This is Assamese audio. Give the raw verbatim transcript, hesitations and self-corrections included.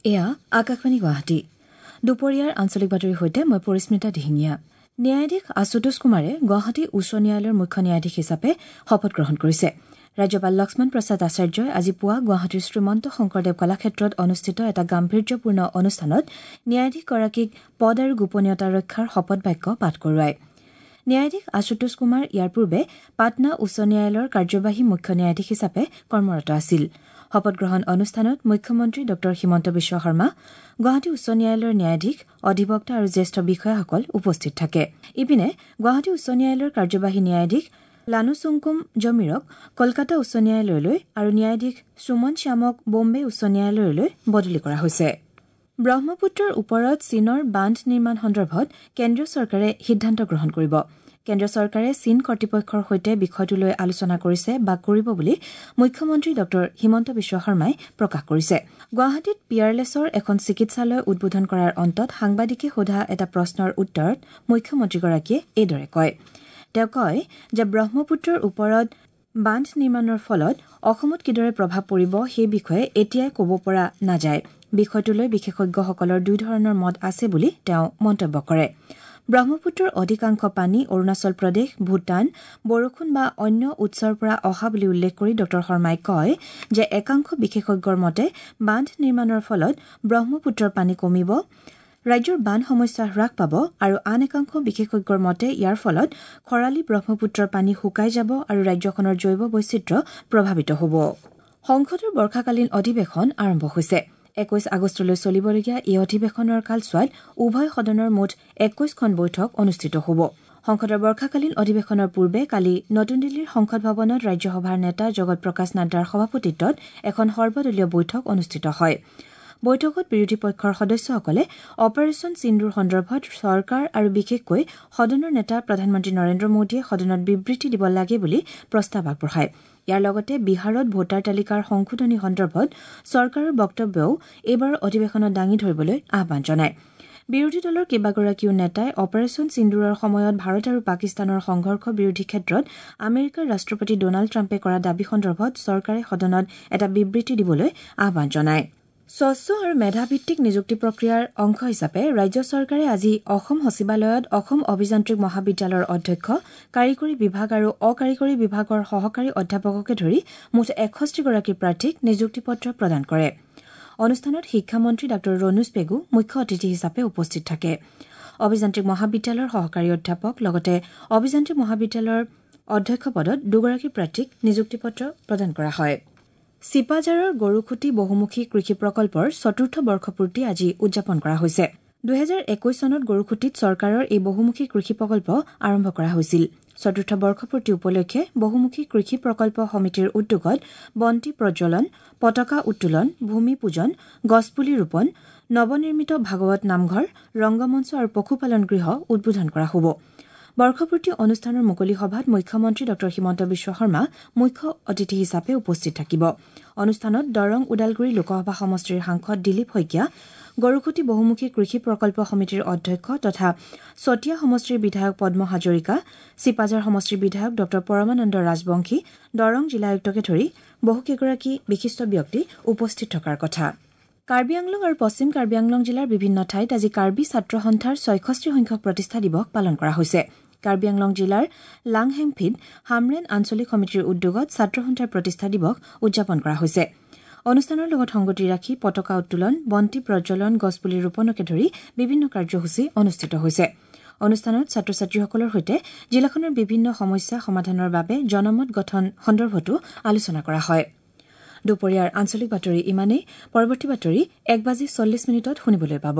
এয়া আকাশবাণী গুৱাহাটী। দুপৰীয়াৰ আঞ্চলিক বাতৰিৰ সৈতে মই পৰিস্মিতা দিহিঙীয়া। ন্যায়াধীশ আশুতোষ কুমাৰে গুৱাহাটী উচ্চ ন্যায়ালয়ৰ মুখ্য ন্যায়াধীশ হিচাপে শপত গ্ৰহণ কৰিছে। ৰাজ্যপাল লক্ষ্মণ প্ৰসাদ আচাৰ্যই আজি পুৱা গুৱাহাটীৰ শ্ৰীমন্ত শংকৰদেৱ কলাক্ষেত্ৰত অনুষ্ঠিত এটা গাম্ভীৰ্যপূৰ্ণ অনুষ্ঠানত ন্যায়াধীশগৰাকীক পদ আৰু গোপনীয়তা ৰক্ষাৰ শপত বাক্য পাঠ কৰোৱায়। ন্যায়াধীশ আশুতোষ কুমাৰ ইয়াৰ পূৰ্বে পাটনা উচ্চ ন্যায়ালয়ৰ কাৰ্যবাহী মুখ্য ন্যায়াধীশ হিচাপে কৰ্মৰত আছিল। শপতগ্ৰহণ অনুষ্ঠানত মুখ্যমন্ত্ৰী ডঃ হিমন্ত বিশ্ব শৰ্মা, গুৱাহাটী উচ্চ ন্যায়ালয়ৰ ন্যায়াধীশ, অধিবক্তা আৰু জ্যেষ্ঠ বিষয়াসকল উপস্থিত থাকে। ইপিনে গুৱাহাটী উচ্চ ন্যায়ালয়ৰ কাৰ্যবাহী ন্যায়াধীশ লানুচুংকুম জমিৰক কলকাতা উচ্চ ন্যায়ালয়লৈ আৰু ন্যায়াধীশ সুমন শ্যামক বোম্বে উচ্চ ন্যায়ালয়লৈ বদলি কৰা হৈছে। ব্ৰহ্মপুত্ৰৰ ওপৰত চীনৰ বান্ধ নিৰ্মাণ সন্দৰ্ভত কেন্দ্ৰীয় চৰকাৰে সিদ্ধান্ত গ্ৰহণ কৰিব। কেন্দ্ৰীয় চৰকাৰে চীন কৰ্তৃপক্ষৰ সৈতে বিষয়টো লৈ আলোচনা কৰিছে বা কৰিব বুলি মুখ্যমন্ত্ৰী ডঃ হিমন্ত বিশ্ব শৰ্মাই প্ৰকাশ কৰিছে। গুৱাহাটীত পিয়াৰলেছৰ এখন চিকিৎসালয় উদ্বোধন কৰাৰ অন্তত সাংবাদিকে সোধা এটা প্ৰশ্নৰ উত্তৰত মুখ্যমন্ত্ৰীগৰাকীয়ে এইদৰে কয়। তেওঁ কয় যে ব্ৰহ্মপুত্ৰৰ ওপৰত বান্ধ নিৰ্মাণৰ ফলত অসমত কিদৰে প্ৰভাৱ পৰিব সেই বিষয়ে এতিয়াই ক'ব পৰা নাযায়। বিষয়টো লৈ বিশেষজ্ঞসকলৰ দুই ধৰণৰ মত আছে বুলি তেওঁ মন্তব্য কৰে। ব্ৰহ্মপুত্ৰৰ অধিকাংশ পানী অৰুণাচল প্ৰদেশ, ভূটান, বৰষুণ বা অন্য উৎসৰ পৰা অহা বুলি উল্লেখ কৰি ডঃ শৰ্মাই কয় যে একাংশ বিশেষজ্ঞৰ মতে বান্ধ নিৰ্মাণৰ ফলত ব্ৰহ্মপুত্ৰৰ পানী কমিব, ৰাজ্যৰ বান সমস্যা হ্ৰাস পাব আৰু আন একাংশ বিশেষজ্ঞৰ মতে ইয়াৰ ফলত খৰালি ব্ৰহ্মপুত্ৰৰ পানী শুকাই যাব আৰু ৰাজ্যখনৰ জৈৱ বৈচিত্ৰ্য প্ৰভাৱিত হ'ব। সংসদৰ বৰ্ষাকালীন অধিৱেশন আৰম্ভ হৈছে। একৈশ আগষ্টলৈ চলিবলগীয়া এই অধিৱেশনৰ কালছোৱাত উভয় সদনৰ মুঠ একৈশখন বৈঠক অনুষ্ঠিত হ'ব। সংসদৰ বৰ্ষাকালীন অধিৱেশনৰ পূৰ্বে কালি নতুন দিল্লীৰ সংসদ ভৱনত ৰাজ্যসভাৰ নেতা জগত প্ৰকাশ নাড্ডাৰ সভাপতিত্বত এখন সৰ্বদলীয় বৈঠক অনুষ্ঠিত হয়। বৈঠকত বিৰোধী পক্ষৰ সদস্যসকলে অপাৰেচন সিন্দুৰ সন্দৰ্ভত চৰকাৰ আৰু বিশেষকৈ সদনৰ নেতা প্ৰধানমন্ত্ৰী নৰেন্দ্ৰ মোদীয়ে সদনত বিবৃতি দিব লাগে বুলি প্ৰস্তাৱ আগবঢ়ায়। ইয়াৰ লগতে বিহাৰত ভোটাৰ তালিকাৰ সংশোধনী সন্দৰ্ভত চৰকাৰৰ বক্তব্যও এইবাৰৰ অধিৱেশনত দাঙি ধৰিবলৈ আহ্বান জনায়। বিৰোধী দলৰ কেইবাগৰাকীও নেতাই অপাৰেচন সিন্দুৰৰ সময়ত ভাৰত আৰু পাকিস্তানৰ সংঘৰ্ষ বিৰোধী ক্ষেত্ৰত আমেৰিকাৰ ৰাষ্ট্ৰপতি ডনাল্ড ট্ৰাম্পে কৰা দাবী সন্দৰ্ভত চৰকাৰে সদনত এটা বিবৃতি দিবলৈ আহ্বান জনায়। স্বচ্ছ আৰু মেধাভিত্তিক নিযুক্তি প্ৰক্ৰিয়াৰ অংশ হিচাপে ৰাজ্য চৰকাৰে আজি অসম সচিবালয়ত অসম অভিযান্ত্ৰিক মহাবিদ্যালয়ৰ অধ্যক্ষ, কাৰিকৰী বিভাগ আৰু অকাৰিকৰী বিভাগৰ সহকাৰী অধ্যাপককে ধৰি মুঠ এষষ্ঠিগৰাকী প্ৰাৰ্থীক নিযুক্তি পত্ৰ প্ৰদান কৰে। অনুষ্ঠানত শিক্ষামন্ত্ৰী ডাঃ ৰণোজ পেগু মুখ্য অতিথি হিচাপে উপস্থিত থাকে। অভিযান্ত্ৰিক মহাবিদ্যালয়ৰ সহকাৰী অধ্যাপক লগতে অভিযান্ত্ৰিক মহাবিদ্যালয়ৰ অধ্যক্ষ পদত দুগৰাকী প্ৰাৰ্থীক নিযুক্তি পত্ৰ প্ৰদান কৰা হয়। চিপাঝাৰৰ গৰুখুঁটি বহুমুখী কৃষি প্ৰকল্পৰ চতুৰ্থ বৰ্ষপূৰ্তি আজি উদযাপন কৰা হৈছে। দুহেজাৰ একৈশ চনত গৰুখুঁটিত চৰকাৰৰ এই বহুমুখী কৃষি প্ৰকল্প আৰম্ভ কৰা হৈছিল। চতুৰ্থ বৰ্ষপূৰ্তি উপলক্ষে বহুমুখী কৃষি প্ৰকল্প সমিতিৰ উদ্যোগত বন্তি প্ৰজ্বলন, পতাকা উত্তোলন, ভূমি পূজন, গছপুলি ৰোপণ, নৱনিৰ্মিত ভাগৱত নামঘৰ, ৰংগমঞ্চ আৰু পশুপালন গৃহ উদ্বোধন কৰা হ'ব। বৰ্ষপূৰ্তি অনুষ্ঠানৰ মুকলি সভাত মুখ্যমন্ত্ৰী ডঃ হিমন্ত বিশ্ব শৰ্মা মুখ্য অতিথি হিচাপে উপস্থিত থাকিব। অনুষ্ঠানত দৰং ওদালগুৰি লোকসভা সমষ্টিৰ সাংসদ দিলীপ শইকীয়া, গৰুখুঁটি বহুমুখী কৃষি প্ৰকল্প সমিতিৰ অধ্যক্ষ তথা চতিয়া সমষ্টিৰ বিধায়ক পদ্ম হাজৰিকা, চিপাঝাৰ সমষ্টিৰ বিধায়ক ডঃ পৰমানন্দ ৰাজবংশী, দৰং জিলা আয়ুক্তকে ধৰি বহুকেইগৰাকী বিশিষ্ট ব্যক্তি উপস্থিত থকাৰ কথা। কাৰ্বি আংলং আৰু পশ্চিম কাৰ্বি আংলং জিলাৰ বিভিন্ন ঠাইত আজি কাৰ্বি ছাত্ৰ সন্থাৰ ছয়ষষ্ঠি সংখ্যক প্ৰতিষ্ঠা দিৱস পালন কৰা হৈছে। কাৰ্বি আংলং জিলাৰ লাংহেংফিত হামৰেণ আঞ্চলিক সমিতিৰ উদ্যোগত ছাত্ৰ সন্থাৰ প্ৰতিষ্ঠা দিৱস উদযাপন কৰা হৈছে। অনুষ্ঠানৰ লগত সংগতি ৰাখি পতাকা উত্তোলন, বন্তি প্ৰজ্বলন, গছপুলি ৰোপণকে ধৰি বিভিন্ন কাৰ্যসূচী অনুষ্ঠিত হৈছে। অনুষ্ঠানত ছাত্ৰ ছাত্ৰীসকলৰ সৈতে জিলাখনৰ বিভিন্ন সমস্যা সমাধানৰ বাবে জনমত গঠন সন্দৰ্ভতো আলোচনা কৰা হয়। দুপৰীয়াৰ আঞ্চলিক বাতৰি ইমানেই। পৰৱৰ্তী বাতৰি এক বাজি চল্লিছ মিনিটত শুনিবলৈ পাব।